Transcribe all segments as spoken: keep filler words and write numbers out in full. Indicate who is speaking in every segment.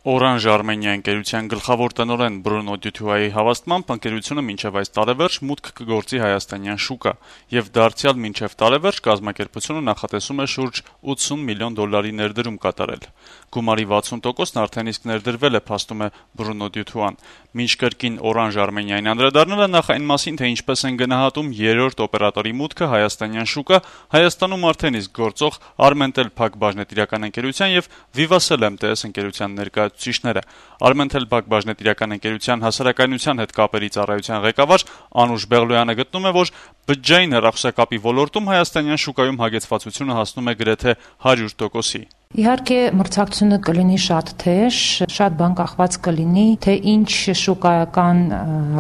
Speaker 1: Orange Armenia ընկերության գլխավոր տնօրեն Բրունո Դյութուայի հավաստմամբ ընկերությունը մինչև այս տարեվերջ մուտք կգործի հայաստանյան շուկա, եւ դարձյալ մինչև տարեվերջ կազմակերպությունը նախատեսում է շուրջ ութսուն միլիոն դոլարի ներդրում կատարել։ Գումարի վաթսուն տոկոսն արդեն իսկ ներդրվել է, փաստում է Բրունո Դյութուան։ Մինչ կրկին Orange Armenia-ին անդրադառնալը նախ այն մասին, թե ինչպես են գնահատում երրորդ օպերատորի մուտքը հայաստանյան շուկա, Հայաստանում արդեն իսկ գործող Armentel Փակ բաժնետիրական ընկերության եւ Vivasel em te es ընկերության ներկայացուցիչները։ Armentel Փակ բաժնետիրական ընկերության հասարակայնության հետ կապերի ծառայության ղեկավար Անուշ Բեղլոյանը գտնում է, որ բջջային հեռախոսակապի ոլորտում հայաստանյան շուկայում հագեցվածությունը հասնում է գրեթե հարյուր տոկոսի։
Speaker 2: Իհարկե մրցակցությունը կլինի շատ թեժ, շատ բան կախված կլինի, թե ինչ շուկայական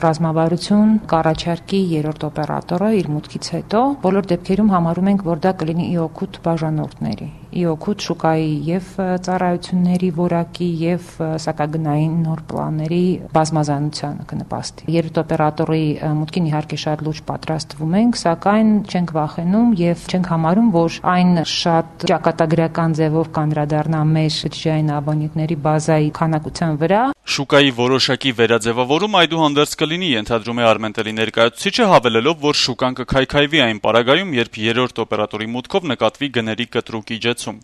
Speaker 2: ռազմավարություն կառաջարկի երրորդ օպերատորը իր մուտքից հետո։ Բոլոր դեպքերում համարում ենք, որ դա կլինի ի օգուտ բաժանորդների, ի օգուտ շուկայի եւ ծառայությունների որակի եւ սակագնային նոր պլանների բազմազանությանը կնպաստի։ Երրորդ օպերատորի մուտքին իհարկե շատ լուրջ պատրաստվում ենք, սակայն չենք վախենում եւ չենք համարում, որ այն շատ ճակատագրական ձևով անդրադառնա մեր բջջային աբոնենտների բազայի քանակության վրա։
Speaker 1: Շուկայի որոշակի վերաձևավորում այդուհանդերձ կլինի, ենթադրում է Armentel-ի ներկայացուցիչը, հավելելով, որ շուկան կքայքայվի այն պարագայում, երբ երրորդ օպերատորի մուտքով նկատվի գների կտրուկ իջեցում։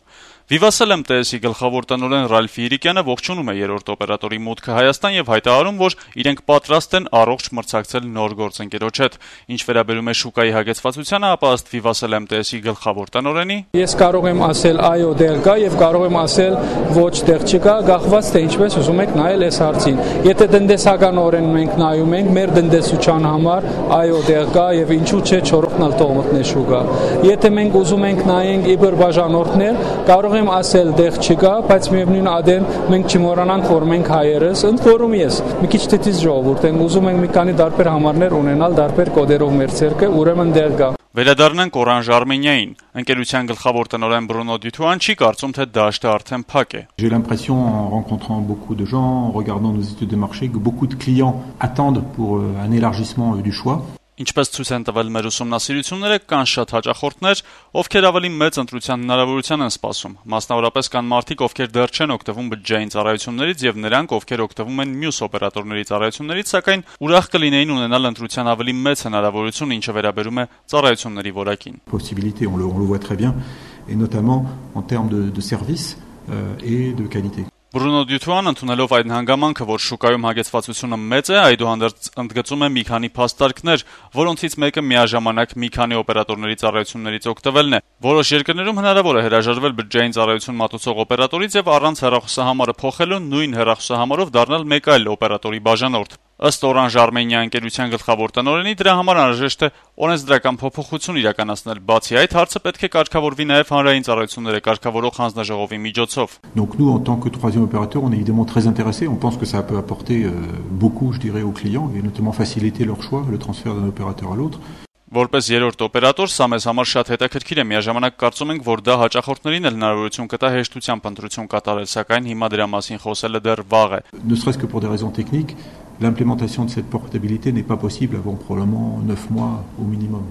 Speaker 1: Vivasel em te es-ի գլխավոր տնօրեն Ռալֆ Իրիկյանը ողջունում է երրորդ օպերատորի մուտքը Հայաստան եւ հայտարարում, որ իրենք պատրաստ են առողջ մրցակցել նոր գործընկերոջ հետ։ Ինչ վերաբերում է շուկայի հագեցվածությանը, ապա ըստ Vivasel em te es-ի գլխավոր տնօրենի,
Speaker 3: ես կարող եմ ասել այո դեղ կա եւ կարող եմ ասել ոչ դեղ չկա, գաղված թե ինչպես ուզում եք նայել այս հարցին։ Եթե տնտեսականորեն մենք նայում ենք մեր տնտեսության համար, այո դեղ կա եւ ինչու՞ չէ չորրորդնալ տողմտնե շուկա։ Եթե մենք ուզում ենք նայենք իբր բաժանորդներ, կարող եմ ասել դեղ չկա, բայց միևնույն ադեն մենք չմոռանանք, որ մենք հայերս, ընդ որում ես մի քիչ թիթիզ ժողովուրդ ենք, ուզում ենք մի քանի տարբեր համարներ ունենալ, տարբեր կոդերով մեր ցերկը, ուրեմն դեղ կա։
Speaker 1: Վերադառնանք Orange Armenia-ին։ Ընկերության գլխավոր տնօրեն Բրունո Դյութուան չի կարծում, թե դաշտը արդեն փակ է։
Speaker 4: J'ai l'impression en rencontrant beaucoup de gens, en regardant nos études de marché, que beaucoup de clients attendent pour un élargissement du choix.
Speaker 1: Ինչպես ցույց են տվել մեր ուսումնասիրությունները, կան շատ հաճախորդներ, ովքեր ավելի մեծ ընտրության հնարավորության են սպասում։ Մասնավորապես կան մարդիկ, ովքեր դեռ չեն օգտվում բջջային ծառայություններից եւ նրանք, ովքեր օգտվում են մյուս օպերատորների ծառայություններից, սակայն ուրախ կլինեին ունենալ ընտրության ավելի մեծ հնարավորություն, ինչը վերաբերում է ծառայությունների որակին։
Speaker 4: Possibilité, on le, on le voit très bien, et notamment en termes de, de services euh, et de qualité.
Speaker 1: Բրունո Դյութուան ընդունելով այդ հանգամանքը, որ շուկայում հագեցվածությունը մեծ է, այդուհանդերձ ընդգծում է մի քանի փաստարկներ, որոնցից մեկը միաժամանակ մի քանի օպերատորների ծառայություններից օգտվելն է։ Որոշ երկրներում հնարավոր է հրաժարվել բջջային ծառայություն մատուցող օպերատորից եւ առանց հեռախոսահամարը փոխելու նույն հեռախոսահամարով դառնալ մեկ այլ օպերատորի բաժանորդ։ Ըստ Orange Armenia ընկերության գլխավոր տնօրենի, դրա համար անհրաժեշտ է օրենսդրական փոփոխություն իրականացնել։ Բացի այդ, հարցը պետք է կարգավորվի նաև հանրային ծառայությունները կարգավորող հանձնաժողովի միջոցով։
Speaker 4: Donc nous, en tant que troisième opérateur, on est évidemment très intéressés. On pense que ça peut apporter euh, beaucoup, je dirais, aux clients et notamment faciliter leur choix, le transfert d'un opérateur à l'autre.
Speaker 1: Որպես երրորդ օպերատոր, սա մեզ համար շատ հետաքրքիր է, միաժամանակ կարծում ենք, որ դա հաճախորդներին էլ հնարավորություն կտա հեշտությամբ ընտրություն կատարել, սակայն հիմա դրա մասին խոսելը դեռ վաղ է։
Speaker 4: Ne serait-ce que pour des raisons techniques, l'implémentation de cette portabilité n'est pas possible avant probablement neuf mois au minimum.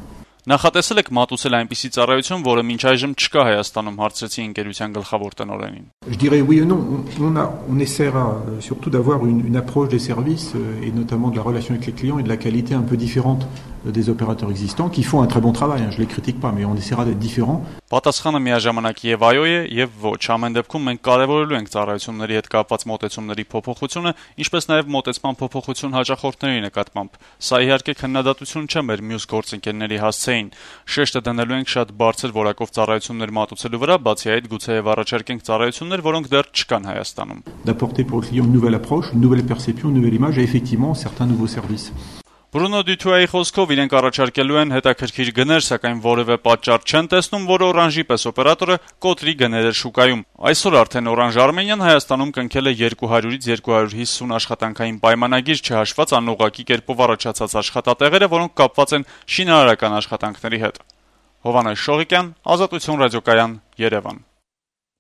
Speaker 1: Նախատեսել եք մատուցել այնպիսի ծառայություն, որը մինչ այժմ չկա Հայաստանում, հարցրեցի ընկերության գլխավոր տնօրենին։
Speaker 4: Je dirais oui et non. On, a, on essaiera surtout d'avoir une, une approche des services et notamment de la relation avec les clients et de la qualité un peu différente des opérateurs existants qui font un très bon travail. Hein, je les critique pas, mais on essaiera d'être différents.
Speaker 1: Պատասխանը միաժամանակ եւ այո է եւ ոչ։ Ամեն դեպքում մենք կարեւորելու ենք ծառայությունների հետ կապված մոտեցումների փոփոխությունը, ինչպես նաեւ մոտեցման փոփոխություն հաճախորդների նկատմամբ։ Սա իհարկե քննադատություն չէ մեր մյուս գործընկերների հասցեին։ Շեշտը դնելու ենք շատ բարձր որակով ծառայություններ մատուցելու վրա, բացի այդ գուցեև առաջարկենք ծառայություններ, որոնք դեռ չկան Հայաստանում։
Speaker 4: D'apporter pour le client une nouvelle approche, une nouvelle perception, une nouvelle image et effectivement certains nouveaux services.
Speaker 1: Բրունո Դյութուայի խոսքով իրենք առաջարկելու են հետաքրքիր գներ, սակայն որևէ պատճառ չեն տեսնում, որ Orange-ի պես օպերատորը կոտրի գները շուկայում։ Այսօր արդեն Orange Armenia-ն Հայաստանում կնքել է երկու հարյուրից երկու հարյուր հիսուն աշխատանքային պայմանագիր, չհաշված անուղղակի կերպով առաջացած աշխատատեղերը, որոնք կապված են շինարարական աշխատանքների հետ։ Հովհաննես Շողիկյան, Ազատություն ռադիոկայան, Երևան։